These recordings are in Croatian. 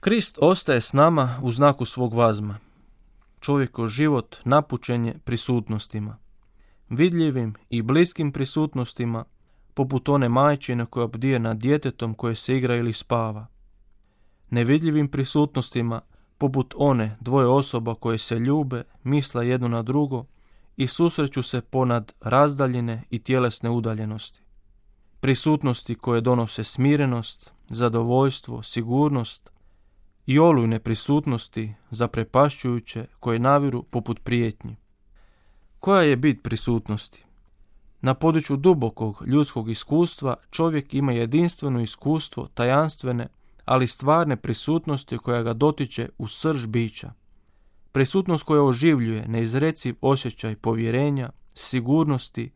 Krist ostaje s nama u znaku svog vazma. Čovjekov život napućen je prisutnostima. Vidljivim i bliskim prisutnostima, poput one majčine koja bdije nad djetetom koje se igra ili spava. Nevidljivim prisutnostima, poput one dvoje osoba koje se ljube, misle jedno na drugo i susreću se ponad razdaljine i tjelesne udaljenosti. Prisutnosti koje donose smirenost, zadovoljstvo, sigurnost i olujne prisutnosti zaprepašćujuće koje naviru poput prijetnji. Koja je bit prisutnosti? Na području dubokog ljudskog iskustva čovjek ima jedinstveno iskustvo tajanstvene, ali stvarne prisutnosti koja ga dotiče u srž bića. Prisutnost koja oživljuje neizreciv osjećaj povjerenja, sigurnosti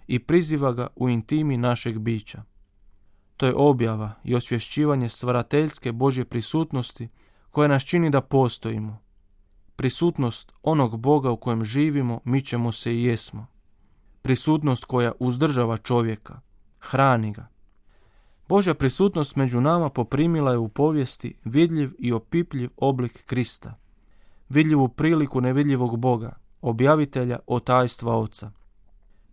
i priziva ga u intimi našeg bića. To je objava i osvješćivanje stvarateljske Božje prisutnosti koja nas čini da postojimo. Prisutnost onog Boga u kojem živimo, mičemo se i jesmo. Prisutnost koja uzdržava čovjeka, hrani ga. Božja prisutnost među nama poprimila je u povijesti vidljiv i opipljiv oblik Krista. Vidljivu priliku nevidljivog Boga, objavitelja o tajstva Oca.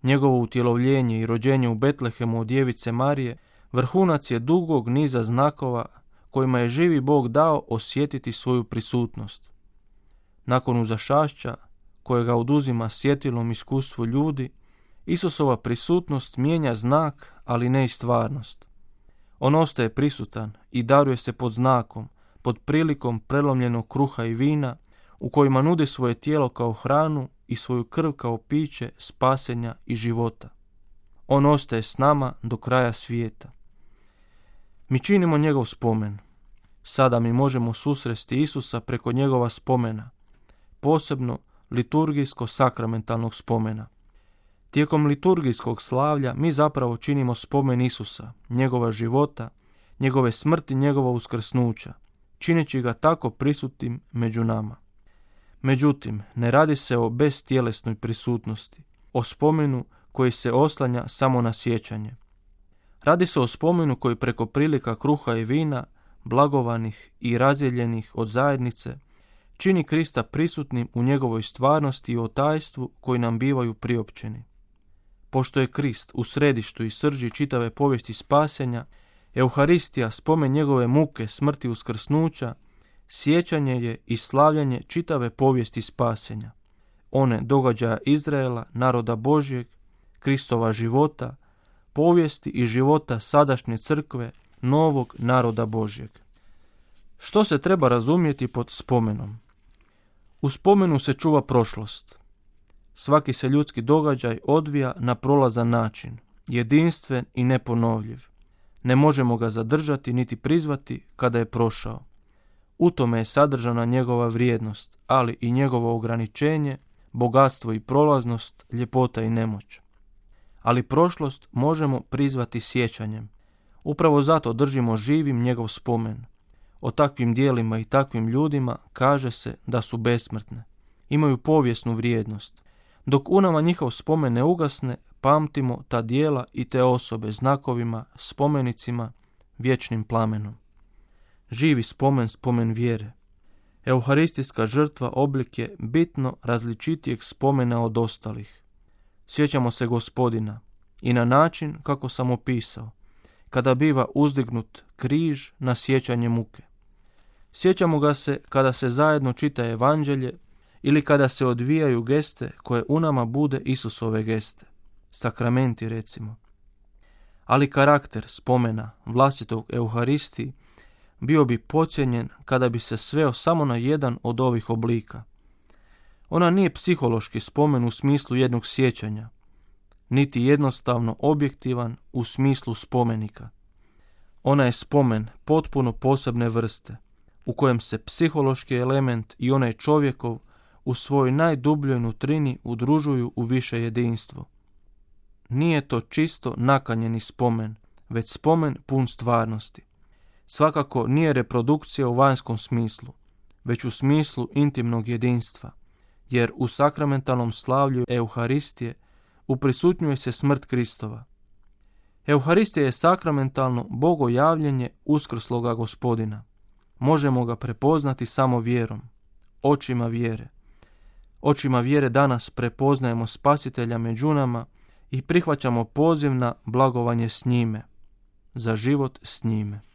Njegovo utjelovljenje i rođenje u Betlehemu od djevice Marije vrhunac je dugog niza znakova kojima je živi Bog dao osjetiti svoju prisutnost. Nakon uzašašća, kojega oduzima sjetilom iskustvu ljudi, Isusova prisutnost mijenja znak, ali ne i stvarnost. On ostaje prisutan i daruje se pod znakom, pod prilikom prelomljenog kruha i vina, u kojima nudi svoje tijelo kao hranu i svoju krv kao piće spasenja i života. On ostaje s nama do kraja svijeta. Mi činimo njegov spomen. Sada mi možemo susresti Isusa preko njegova spomena, posebno liturgijsko-sakramentalnog spomena. Tijekom liturgijskog slavlja mi zapravo činimo spomen Isusa, njegova života, njegove smrti, njegova uskrsnuća, čineći ga tako prisutnim među nama. Međutim, ne radi se o bestjelesnoj prisutnosti, o spomenu koji se oslanja samo na sjećanje. Radi se o spomenu koji preko prilika kruha i vina, blagovanih i razdijeljenih od zajednice, čini Krista prisutnim u njegovoj stvarnosti i o tajstvu koji nam bivaju priopćeni. Pošto je Krist u središtu i srži čitave povijesti spasenja, Euharistija, spomen njegove muke, smrti i uskrsnuća, sjećanje je i slavljanje čitave povijesti spasenja. One događaja Izraela, naroda Božjeg, Kristova života, povijesti i života sadašnje crkve, novog naroda Božjeg. Što se treba razumjeti pod spomenom? U spomenu se čuva prošlost. Svaki se ljudski događaj odvija na prolazan način, jedinstven i neponovljiv. Ne možemo ga zadržati niti prizvati kada je prošao. U tome je sadržana njegova vrijednost, ali i njegovo ograničenje, bogatstvo i prolaznost, ljepota i nemoć. Ali prošlost možemo prizvati sjećanjem. Upravo zato držimo živim njegov spomen. O takvim dijelima i takvim ljudima kaže se da su besmrtne. Imaju povijesnu vrijednost. Dok u nama njihov spomen ne ugasne, pamtimo ta dijela i te osobe znakovima, spomenicima, vječnim plamenom. Živi spomen, spomen vjere. Euharistijska žrtva oblik je bitno različitijeg spomena od ostalih. Sjećamo se Gospodina i na način kako sam opisao, kada biva uzdignut križ na sjećanje muke. Sjećamo ga se kada se zajedno čita evanđelje ili kada se odvijaju geste koje u nama bude Isusove geste, sakramenti recimo. Ali karakter spomena vlastitog Euharistiji bio bi podcijenjen kada bi se sveo samo na jedan od ovih oblika. Ona nije psihološki spomen u smislu jednog sjećanja, niti jednostavno objektivan u smislu spomenika. Ona je spomen potpuno posebne vrste, u kojem se psihološki element i onaj čovjekov u svojoj najdubljoj nutrini udružuju u više jedinstvo. Nije to čisto nakanjeni spomen, već spomen pun stvarnosti. Svakako nije reprodukcija u vanjskom smislu, već u smislu intimnog jedinstva, jer u sakramentalnom slavlju Euharistije uprisutnjuje se smrt Kristova. Euharistija je sakramentalno bogojavljenje uskrsloga Gospodina. možemo ga prepoznati samo vjerom, očima vjere. Očima vjere danas prepoznajemo Spasitelja među nama i prihvaćamo poziv na blagovanje s njime, za život s njime.